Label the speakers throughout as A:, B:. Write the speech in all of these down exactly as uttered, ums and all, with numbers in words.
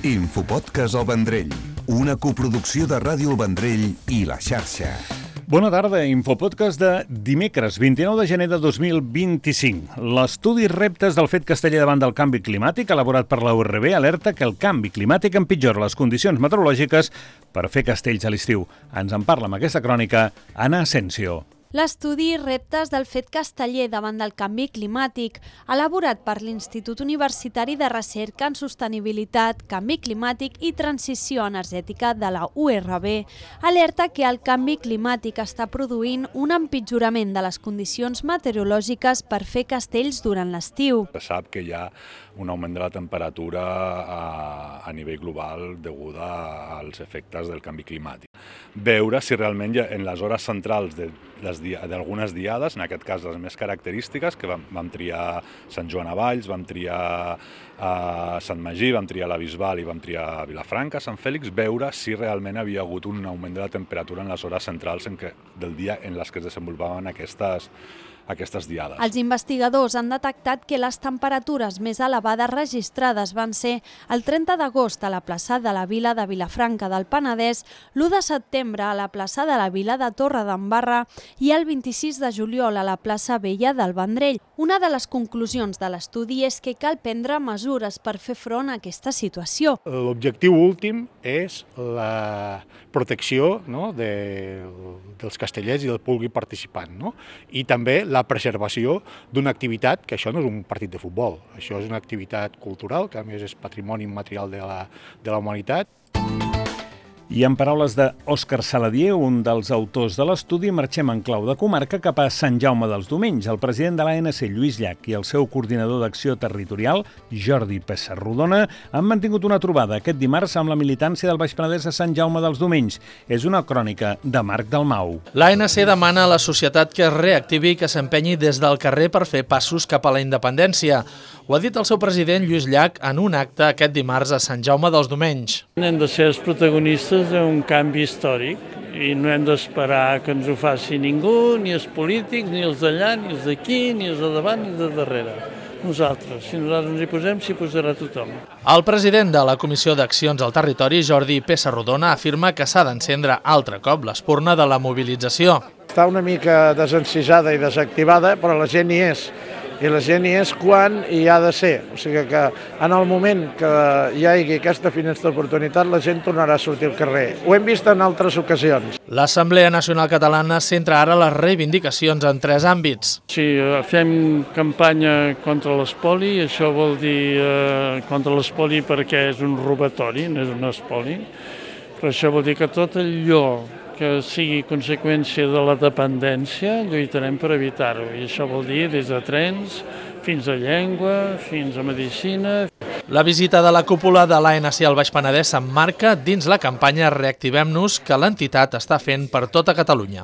A: Infopodcast El Vendrell, una coproducció de Ràdio El Vendrell i La Xarxa.
B: Bona tarda, Infopodcast de dimecres, vint-i-nou de gener de dos mil vint-i-cinc. L'estudi Reptes del fet casteller davant del canvi climàtic, elaborat per la U R B, alerta que el canvi climàtic empitjora les condicions meteorològiques per fer castells a l'estiu. Ens en parla amb aquesta crònica Anna Asensio.
C: L'estudi Reptes del fet casteller davant del canvi climàtic, elaborat per l'Institut Universitari de Recerca en Sostenibilitat, Canvi Climàtic i Transició Energètica de la U R B, alerta que el canvi climàtic està produint un empitjorament de les condicions meteorològiques per fer castells durant l'estiu.
D: Se sap que hi ha un augment de la temperatura a, a nivell global deguda als efectes del canvi climàtic. Veure si realment ja en les hores centrals de d'algunes diades, en aquest cas les més característiques, que vam, vam triar Sant Joan a Valls, vam triar a Sant Magí, vam triar la Bisbal i vam triar Vilafranca, Sant Fèlix, veure si realment havia hagut un augment de la temperatura en les hores centrals en què, del dia en les que es desenvolupaven aquestes aquestes diades.
C: Els investigadors han detectat que les temperatures més elevades registrades van ser el trenta d'agost a la plaça de la Vila de Vilafranca del Penedès, l'u de setembre a la plaça de la Vila de Torredembarra i el vint-i-sis de juliol a la plaça Vella del Vendrell. Una de les conclusions de l'estudi és que cal prendre mesures per fer front a aquesta situació.
E: L'objectiu últim és la protecció, no, de, dels castellers i del públic participant, no? I també la la preservació d'una activitat, que això no és un partit de futbol, això és una activitat cultural, que a més és patrimoni immaterial de la, de la humanitat.
B: I en paraules d'Òscar Saladier, un dels autors de l'estudi, marxem en clau de comarca cap a Sant Jaume dels Domenys. El president de l'A N C, Lluís Llach, i el seu coordinador d'acció territorial, Jordi Pessarrodona, han mantingut una trobada aquest dimarts amb la militància del Baix Penedès a Sant Jaume dels Domenys. És una crònica de Marc Dalmau.
F: L'A N C demana a la societat que es reactivi i que s'empenyi des del carrer per fer passos cap a la independència. Ho ha dit el seu president, Lluís Llach, en un acte aquest dimarts a Sant Jaume dels Domenys.
G: Hem de ser els protagonistes d'un canvi històric i no hem d'esperar que ens ho faci ningú, ni els polítics, ni els d'allà, ni els d'aquí, ni els de davant, ni els de darrere. Nosaltres, si nosaltres ens hi posem, s'hi posarà tothom.
F: El president de la Comissió d'Accions al Territori, Jordi Pessarrodona, afirma que s'ha d'encendre altre cop l'espurna de la mobilització.
H: Està una mica desencisada i desactivada, però la gent hi és. I la gent hi és quan hi ha de ser. O sigui que en el moment que hi hagi aquesta finestra d'oportunitat, la gent tornarà a sortir al carrer. Ho hem vist en altres ocasions.
F: L'Assemblea Nacional Catalana centra ara les reivindicacions en tres àmbits.
G: Si fem campanya contra l'espoli, això vol dir eh, contra l'espoli perquè és un robatori, no és un espoli, però això vol dir que tot allò que sigui conseqüència de la dependència, lluitarem per evitar-ho. I això vol dir des de trens, fins a llengua, fins a medicina.
F: La visita de la cúpula de l'A N C al Baix Penedès s'emmarca dins la campanya Reactivem-nos que l'entitat està fent per tota Catalunya.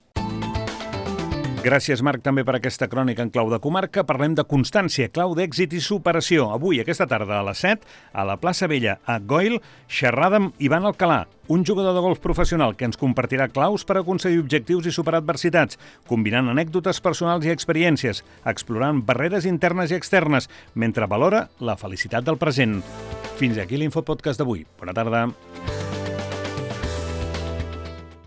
B: Gràcies, Marc, també per aquesta crònica en clau de comarca. Parlem de constància, clau d'èxit i superació. Avui, aquesta tarda, a les set, a la plaça Vella, a Goil, xerrada amb Ivan Alcalà, un jugador de golf professional que ens compartirà claus per aconseguir objectius i superar adversitats, combinant anècdotes personals i experiències, explorant barreres internes i externes, mentre valora la felicitat del present. Fins aquí l'Infopodcast d'avui. Bona tarda.